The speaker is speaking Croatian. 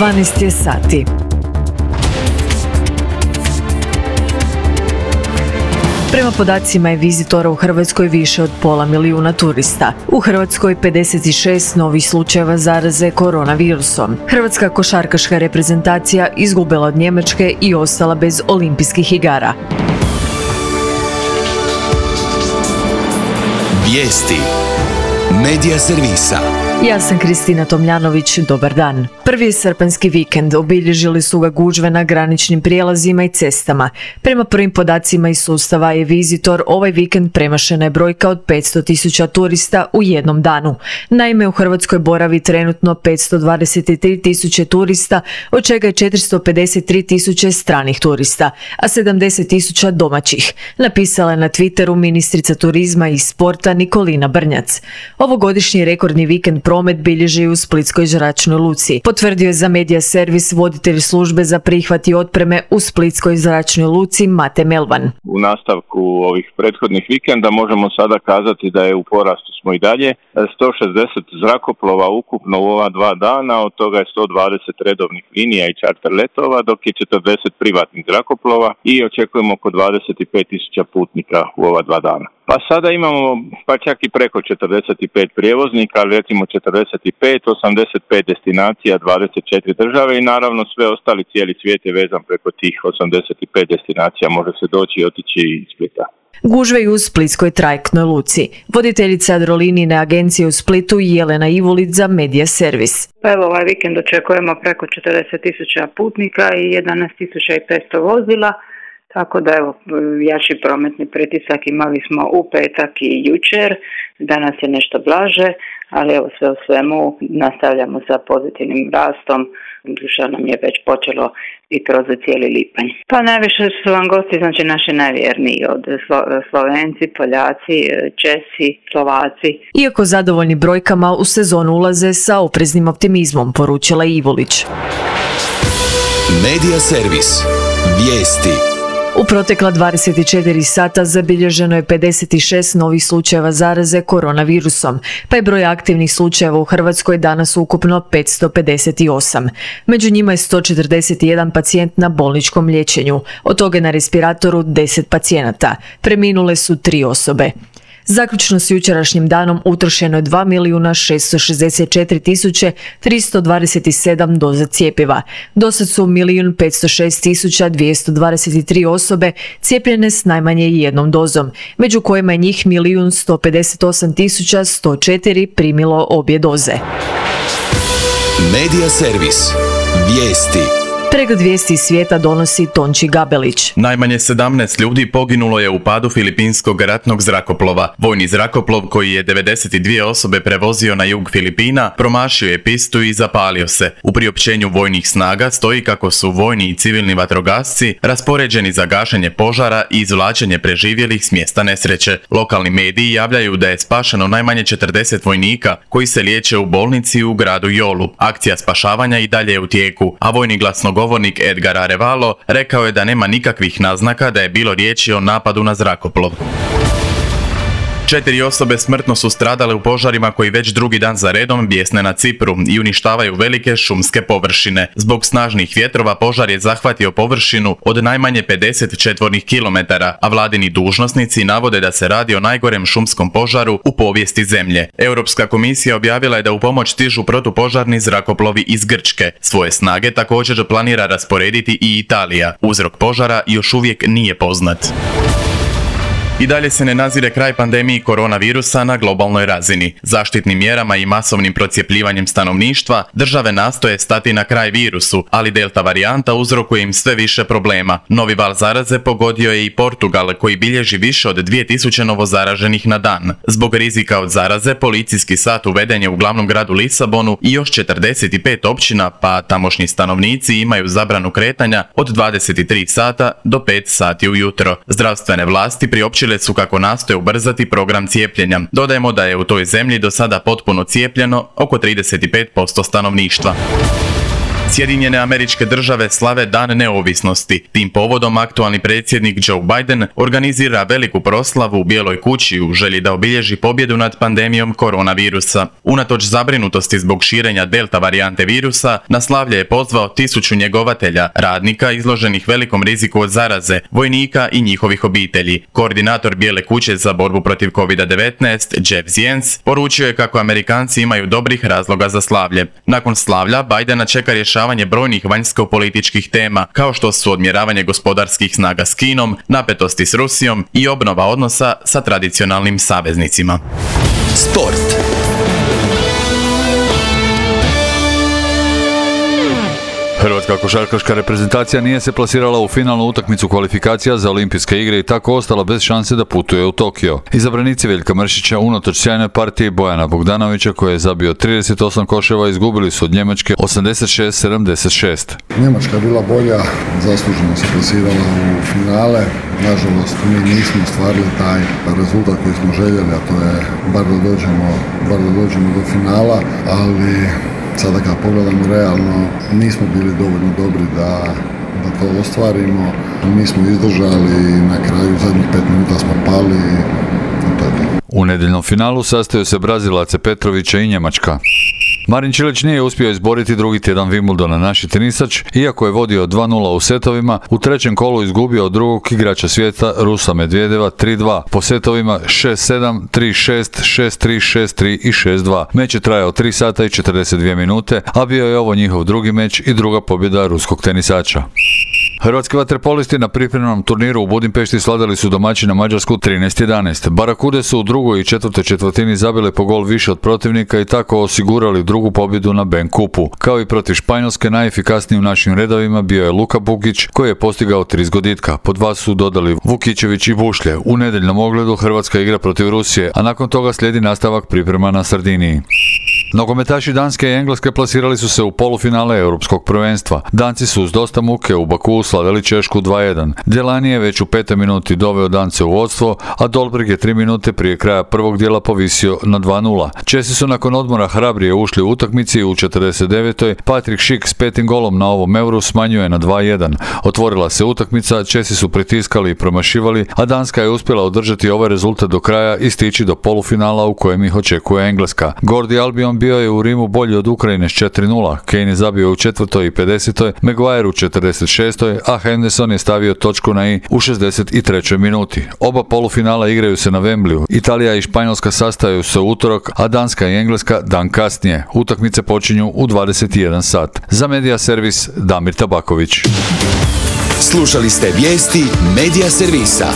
12 je sati. Prema podacima je vizitora u Hrvatskoj više od 500 milijuna turista. U Hrvatskoj 56 novih slučajeva zaraze koronavirusom. Hrvatska košarkaška reprezentacija izgubila od Njemačke i ostala bez olimpijskih igara. Vijesti Medija servisa. Ja sam Kristina Tomljanović, dobar dan. Prvi je srpanjski vikend, obilježili su ga gužve na graničnim prijelazima i cestama. Prema prvim podacima iz sustava e-Vizitor, ovaj vikend premašena je brojka od 500.000 turista u jednom danu. Naime, u Hrvatskoj boravi trenutno 523.000 turista, od čega je 453.000 stranih turista, a 70.000 domaćih, napisala je na Twitteru ministrica turizma i sporta Nikolina Brnjac. Ovogodišnji rekordni vikend promet bilježi u Splitskoj zračnoj luci. Potvrdio je za Medija servis voditelj službe za prihvat i otpreme u Splitskoj zračnoj luci Mate Melvan. U nastavku ovih prethodnih vikenda možemo sada kazati da je u porastu smo i dalje. 160 zrakoplova ukupno u ova 2 dana, od toga je 120 redovnih linija i čarter letova, dok je 40 privatnih zrakoplova i očekujemo oko 25.000 putnika u ova 2 dana. Pa sada imamo pa čak i preko 45 prijevoznika, ali recimo 45, 85 destinacija, 24 države i naravno sve ostali, cijeli svijet je vezan preko tih 85 destinacija, može se doći i otići iz Splita. Gužve i u Splitskoj trajektnoj luci. Voditeljica Adrolinijine agencije u Splitu Jelena Ivulić za Medija servis. Pa evo, ovaj vikend očekujemo preko 40.000 putnika i 11.500 vozila. Tako da evo, jači prometni pritisak imali smo u petak i jučer, danas je nešto blaže, ali evo sve u svemu nastavljamo sa pozitivnim rastom, što nam je već počelo i kroz cijeli lipanj. Pa najviše su vam gosti, znači naši najvjerniji, od Slovenci, Poljaci, Česi, Slovaci. Iako zadovoljni brojkama, u sezonu ulaze sa opreznim optimizmom, poručila Ivulić. Medija servis. Vijesti. U protekla 24 sata zabilježeno je 56 novih slučajeva zaraze koronavirusom, pa je broj aktivnih slučajeva u Hrvatskoj danas ukupno 558. Među njima je 141 pacijent na bolničkom liječenju, od toga na respiratoru 10 pacijenata. Preminule su 3 osobe. Zaključno s jučerašnjim danom utrošeno je 2.664.327 doza cjepiva. Dosad su 1.506.223 osobe cijepljene s najmanje jednom dozom, među kojima je njih 1.158.104 primilo obje doze. Medija servis. Vijesti. Pregled vijesti iz svijeta donosi Tonči Gabelić. Najmanje 17 ljudi poginulo je u padu filipinskog ratnog zrakoplova. Vojni zrakoplov, koji je 92 osobe prevozio na jug Filipina, promašio je pistu i zapalio se. U priopćenju vojnih snaga stoji kako su vojni i civilni vatrogasci raspoređeni za gašenje požara i izvlačenje preživjelih s mjesta nesreće. Lokalni mediji javljaju da je spašeno najmanje 40 vojnika koji se liječe u bolnici u gradu Jolu. Akcija spašavanja i dalje je u tijeku, a vojni glasnogovornik Edgar Arevalo rekao je da nema nikakvih naznaka da je bilo riječi o napadu na zrakoplov. 4 osobe smrtno su stradale u požarima koji već drugi dan za redom bjesne na Cipru i uništavaju velike šumske površine. Zbog snažnih vjetrova požar je zahvatio površinu od najmanje 50 četvornih kilometara, a vladini dužnosnici navode da se radi o najgorem šumskom požaru u povijesti zemlje. Europska komisija objavila je da u pomoć stižu protupožarni zrakoplovi iz Grčke. Svoje snage također planira rasporediti i Italija. Uzrok požara još uvijek nije poznat. I dalje se ne nazire kraj pandemiji koronavirusa na globalnoj razini. Zaštitnim mjerama i masovnim procijepljivanjem stanovništva države nastoje stati na kraj virusu, ali delta varijanta uzrokuje im sve više problema. Novi val zaraze pogodio je i Portugal, koji bilježi više od 2000 novozaraženih na dan. Zbog rizika od zaraze, policijski sat uveden je u glavnom gradu Lisabonu i još 45 općina, pa tamošnji stanovnici imaju zabranu kretanja od 23 sata do 5 sati ujutro. Zdravstvene vlasti priopćile su kako nastoje ubrzati program cijepljenja. Dodajemo da je u toj zemlji do sada potpuno cijepljeno oko 35% stanovništva. Sjedinjene Američke Države slave Dan neovisnosti. Tim povodom aktualni predsjednik Joe Biden organizira veliku proslavu u Bijeloj kući u želji da obilježi pobjedu nad pandemijom koronavirusa. Unatoč zabrinutosti zbog širenja delta varijante virusa, na slavlje je pozvao 1000 njegovatelja, radnika izloženih velikom riziku od zaraze, vojnika i njihovih obitelji. Koordinator Bijele kuće za borbu protiv COVID-19, Jeff Zients, poručio je kako Amerikanci imaju dobrih razloga za slavlje. Nakon slavlja, Bidena čeka rješavanje brojnih vanjsko-političkih tema, kao što su odmjeravanje gospodarskih snaga s Kinom, napetosti s Rusijom i obnova odnosa sa tradicionalnim saveznicima. Sport. Hrvatska košarkaška reprezentacija nije se plasirala u finalnu utakmicu kvalifikacija za olimpijske igre i tako ostala bez šanse da putuje u Tokio. Izabranici Veljka Mršića unatoč sjajnoj partiji Bojana Bogdanovića koji je zabio 38 koševa izgubili su od Njemačke 86-76. Njemačka je bila bolja, zasluženo se plasirala u finale. Nažalost, mi nismo ostvarili taj rezultat koji smo željeli, a to je bar da dođemo do finala, ali sada kad pogledamo realno, nismo bili dovoljno dobri da to ostvarimo. Mi smo izdržali i na kraju zadnjih 5 minuta smo pali i to je to. U nedjeljnom finalu sastaju se Brazilac Petrovića i Njemačka. Marin Čilić nije uspio izboriti drugi tjedan Wimbledona. Naši tenisač, iako je vodio 2-0 u setovima, u trećem kolu izgubio od drugog igrača svijeta Rusa Medvedeva 3-2 po setovima 6-7, 3-6, 6-3, 6-3 i 6-2. Meč je trajao 3 sata i 42 minute, a bio je ovo njihov drugi meč i druga pobjeda ruskog tenisača. Hrvatski vaterpolisti na pripremnom turniru u Budimpešti sladali su domaćina Mađarsku 13-11. Barakude su u drugoj i četvrtoj četvrtini zabile po gol više od protivnika i tako osigurali drugu pobjedu na Ben Kupu. Kao i protiv Španjolske, najefikasniji u našim redovima bio je Luka Bukić koji je postigao 3 zgoditka. Po 2 su dodali Vukićević i Bušlje. U nedjeljnom ogledu Hrvatska igra protiv Rusije, a nakon toga slijedi nastavak priprema na Sardiniji. Nogometaši Danske i Engleske plasirali su se u polufinale Europskog prvenstva. Danci su uz dosta muke u Bakuu slavili Češku 2-1. Delani je već u 5. minuti doveo Dance u vodstvo, a Dolberg je 3 minute prije kraja prvog dijela povisio na 2-0. Česi su nakon odmora hrabrije ušli u utakmici i u 49. Patrick Schick s 5. golom na ovom Euru smanjuje na 2-1. Otvorila se utakmica, Česi su pritiskali i promašivali, a Danska je uspjela održati ovaj rezultat do kraja i stići do polufinala u kojem ih očekuje Engleska. Gordi Albion bio je u Rimu bolji od Ukrajine s 4-0. Kane je zabio u 4. i 50. Maguire u 46. a Henderson je stavio točku na i u 63. minuti. Oba polufinala igraju se na Wembleyu. Italija i Španjolska sastaju se u utorak, a Danska i Engleska dan kasnije. Utakmice počinju u 21 sat. Za Medija servis Damir Tabaković. Slušali ste vijesti Medija servisa.